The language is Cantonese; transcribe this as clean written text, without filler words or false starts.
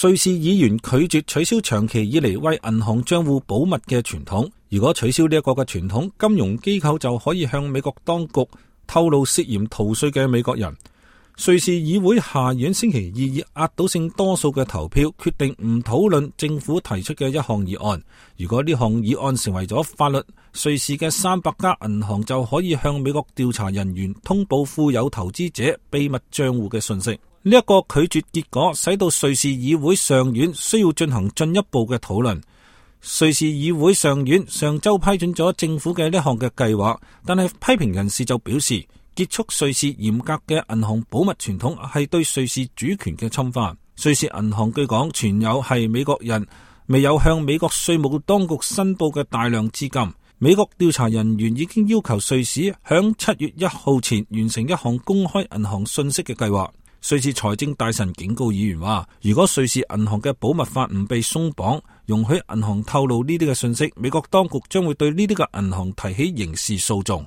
瑞士議員拒絕取消長期以嚟為銀行賬戶保密嘅傳統。如果取消呢一個嘅傳統，金融機構就可以向美國當局透露涉嫌逃稅嘅美國人。瑞士議會下院星期二以壓倒性多數嘅投票決定唔討論政府提出嘅一項議案。如果呢項議案成為咗法律，瑞士嘅300家銀行就可以向美國調查人員通報富有投資者秘密賬戶嘅信息。呢一個拒絕結果使到瑞士議會上院需要進行進一步嘅討論。瑞士議會上院上周批准咗政府嘅呢項嘅計劃，但係批評人士就表示，結束瑞士嚴格嘅銀行保密傳統係對瑞士主權嘅侵犯。瑞士銀行據講存有係美國人未有向美國稅務當局申報嘅大量資金。美國調查人員已經要求瑞士響7月1號前完成一項公開銀行信息嘅計劃。瑞士財政大臣警告議員話，如果瑞士銀行嘅保密法唔被鬆綁，容許銀行透露呢啲嘅信息，美國當局將會對呢啲嘅銀行提起刑事訴訟。